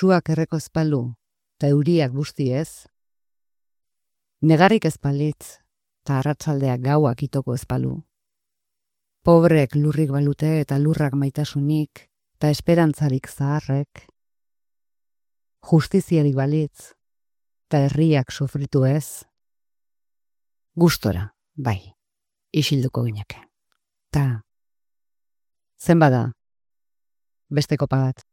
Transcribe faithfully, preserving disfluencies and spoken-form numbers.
suak erreko ezpalu, ta euriak busti ez. Negarrik ezpalitz, ta arratsaldeak gauak itoko ezpalu. Pobrek lurrik balute eta lurrak maitasunik, ta esperantzarik zaharrek. Justiziarik balitz, ta herriak sufritu ez. Gustora, bai, isilduko gineke. Ta, zenbada, beste kopa bat.